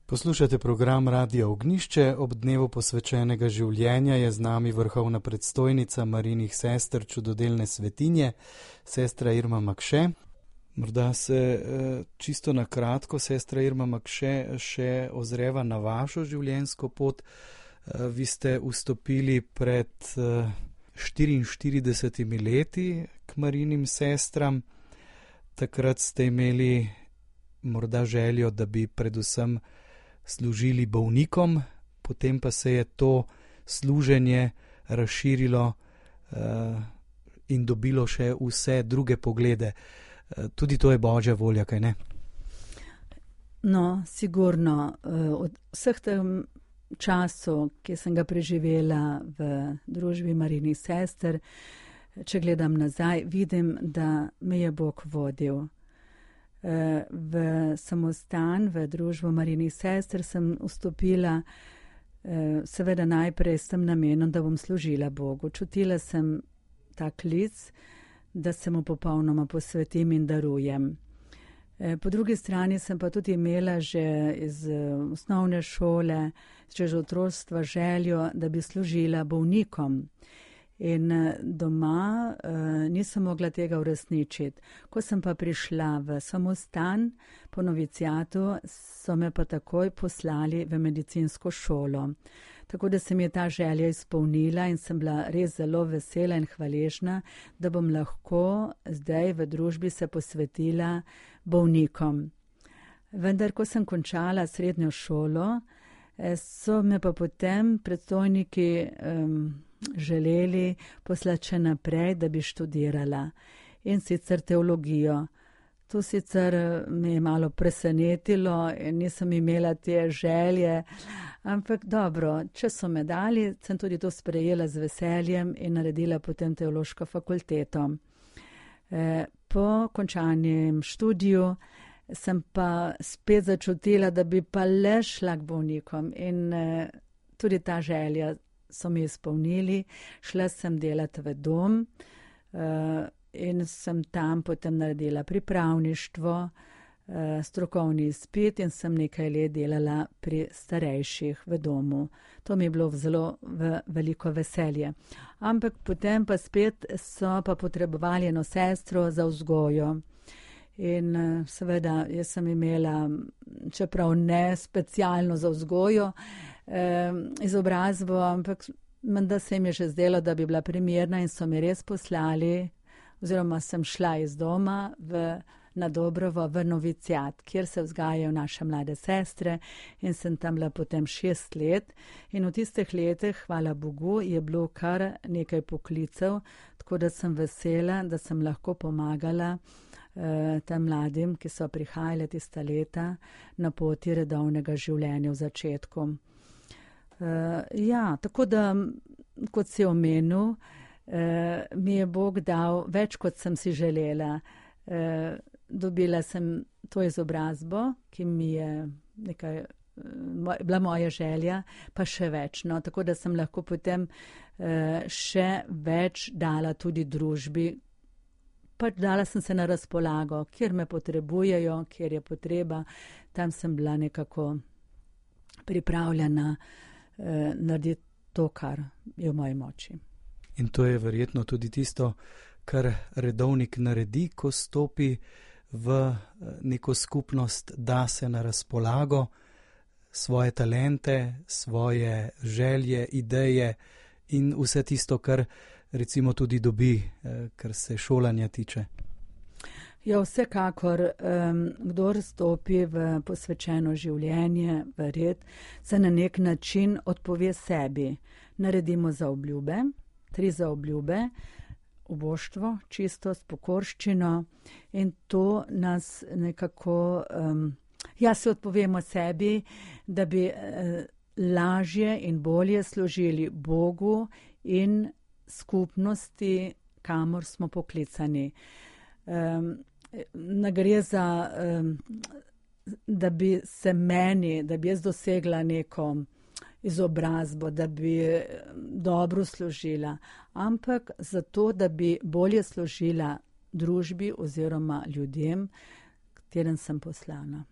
Poslušate program Radia Ognjišče. Ob dnevu posvečenega življenja je z nami vrhovna predstojnica Marijinih sester Čudodelne svetinje, sestra Irma Makše. Morda se čisto na kratko, sestra Irma Makše, še ozreva na vašo življenjsko pot. Vi ste vstopili pred 44 leti k Marijinim sestram. Takrat ste imeli morda željo, da bi predvsem služili bolnikom, potem pa se je to služenje razširilo in dobilo še vse druge poglede. Tudi to je Božja volja, kaj ne? No, sigurno. Od vseh tem času, ki sem ga preživela v družbi Marijinih sester, če gledam nazaj, vidim, da me je Bog vodil. V samostan, v družbo Marijinih sester sem vstopila seveda najprej s tem namenom, da bom služila Bogu. Čutila sem ta klic, da se mu popolnoma posvetim in darujem. Po drugi strani sem pa tudi imela že iz osnovne šole, že od otroštva željo, da bi služila bolnikom. In doma nisem mogla tega uresničiti. Ko sem pa prišla v samostan po novicijatu, so me pa takoj poslali v medicinsko šolo. Tako da se mi je ta želja izpolnila in sem bila res zelo vesela in hvaležna, da bom lahko zdaj v družbi se posvetila bolnikom. Vendar, ko sem končala srednjo šolo, so me pa potem predstojniki želeli poslati še naprej, da bi študirala, in sicer teologijo. To sicer me je malo presenetilo in nisem imela te želje, ampak dobro, če so me dali, sem tudi to sprejela z veseljem in naredila potem teološko fakulteto. Po končanem študiju sem pa spet začutila, da bi pa le šla k bolnikom, in tudi ta želja so mi izpolnili. Šla sem delati v dom in sem tam potem naredila pripravništvo, strokovni izpit in sem nekaj let delala pri starejših v domu. To mi je bilo zelo veliko veselje. Ampak potem pa spet so pa potrebovali eno sestro za vzgojo. In seveda jaz sem imela, čeprav ne specialno za vzgojo, izobrazbo, ampak menda se jim je že zdelo, da bi bila primerna, in so mi res poslali, oziroma sem šla iz doma na Dobrovo v novicijat, kjer se vzgajajo naše mlade sestre, in sem tam bila potem 6 let. In v tistih letih, hvala Bogu, je bilo kar nekaj poklicev, tako da sem vesela, da sem lahko pomagala tem mladim, ki so prihajali tista leta na poti redovnega življenja v začetku. Tako da, kot si omenil, mi je Bog dal več, kot sem si želela. Dobila sem to izobrazbo, ki mi je bila moja želja, pa še več. No? Tako da sem lahko potem še več dala tudi družbi. Pač dala sem se na razpolago, kjer me potrebujejo, kjer je potreba, tam sem bila nekako pripravljena narediti to, kar je v moji moči. In to je verjetno tudi tisto, kar redovnik naredi, ko stopi v neko skupnost, da se na razpolago svoje talente, svoje želje, ideje in vse tisto, kar recimo tudi dobi, kar se šolanja tiče. Ja, vsekakor, kdor stopi v posvečeno življenje, v red, se na nek način odpove sebi. Naredimo zaobljube, 3 zaobljube, uboštvo, čistost, pokorščino, in to nas nekako, se odpovemo sebi, da bi lažje in bolje služili Bogu in skupnosti, kamor smo poklicani. Ne gre za, da bi se meni, da bi jaz dosegla neko izobrazbo, da bi dobro služila, ampak zato, da bi bolje služila družbi oziroma ljudem, katerim sem poslana.